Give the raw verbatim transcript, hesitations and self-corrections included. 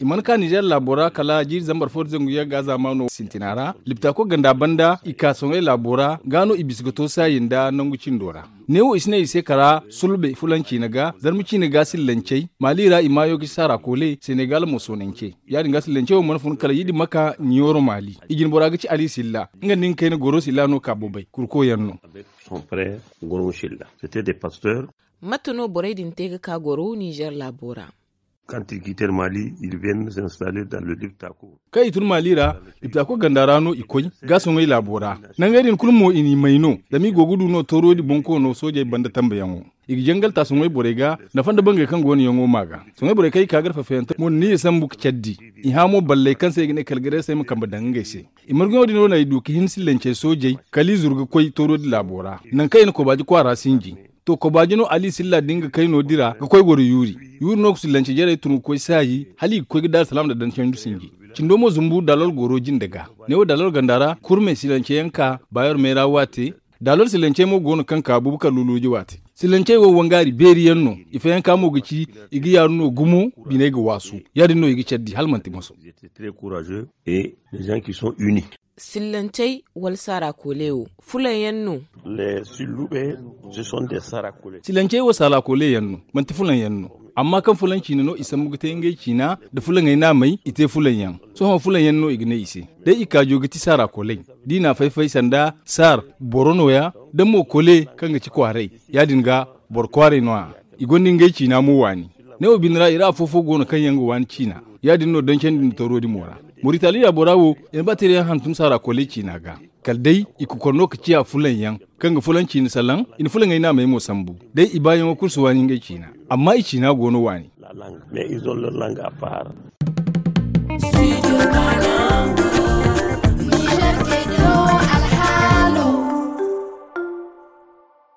I mana ka nizer laabo ra kala jiiri zambar fo nda zangu yagga zaamaano sintina ra. Liptaako ganda banda i ka soŋay laabo ra ga no i bisa ga to saayi nda nangu cindo ra. Neewo i si ne i se kara sulbe fulan ciina ga zarma ciina ga sillancey maali ra i maayo ga ci saara koole senegal mo soonance. Ya- din ga sillancey wo mana fun kala yidi maka ɲooro maali. I jinbora ga ci ali silla nga nda nga kayna goro silla no ka bobay kurko yaŋ no. Mate no borey din te ga ka goro nizer laabo ra? Kaŋ i tun maali ra liptaako ganda ra no i koy ga soŋay laabo ra. Nangey din kulu mo i n'i may no zama i go ga du no tooroodi bonkoono soojey banda tambayaŋo. I ga jangal ta soŋay borey ga nafa nda bangey kaŋ go no yaŋo ma ga. Soŋay borey kaŋ i ka gar fafayante mo na niya sambu ga care di. I hã mo balley kaŋ se i ga ne kalgareesey ma kambe daŋ ngey se. I marguyaŋo din no no ay du ga hin sillancey soojey kala i zuru ga koy tooroodi laabo ra. Nangu kaŋ i na kobaaji kwaara sinji to kobaaji no ali silla din ga kayno dira ga koy goro yuuri. Yuuri no ga sillance jarey tun ga koy saayi hala i ga koy ga daaru salaam nda dancandi sinji. Cindo mo zumbu dalol goro jinde ga. Neewo dalol ganda ra kurme sillance yaŋ ka baayor meera waate. Dalol sillancey mo go no kaŋ ka bubakar luluuji waate. Sillancey wo wangaari beeri yaŋ no. I fayanka mo ga ci i ga yaaru no gumo. Biney ga waasu. Ya- din no i ga care di hala manti moso. Sillancey wala saara koole wo fulaŋ yaŋ no? Sillancey wo saara koole yaŋ no. Manti fulaŋ yaŋ no. Amma kaŋ fulaŋ ciina no i sambu ga te ngey ciina nda fulaŋey naamey i te fulaŋ yaŋ. Sohõ fulaŋ yaŋ no i ga ne i se. Day i kaajo ga ti saara kooley da i n'a fay-fay sanda saar boro nooya. Da mo koole kaŋ ga ci kwaaray ya- din ga boro kwaaray no- ya. I gonda ngey ciina mo waani. Neewo bine ra i ra afo-fo go no kaŋ yaŋ ga waani ciina. Ya- din no dancandi nda tooroodi mo ra. Moritali ra bora wo i na ba tira yaŋ hantum saara kooley ciina ga. Kala day i kokor no ga ciya fulaŋ yaŋ kaŋ ga fulaŋ ciina salaŋ. I na fulaŋey naamey mo sambu. Day i baayaŋo kulu si waani ngey ciina. Amma i ciina go no waani.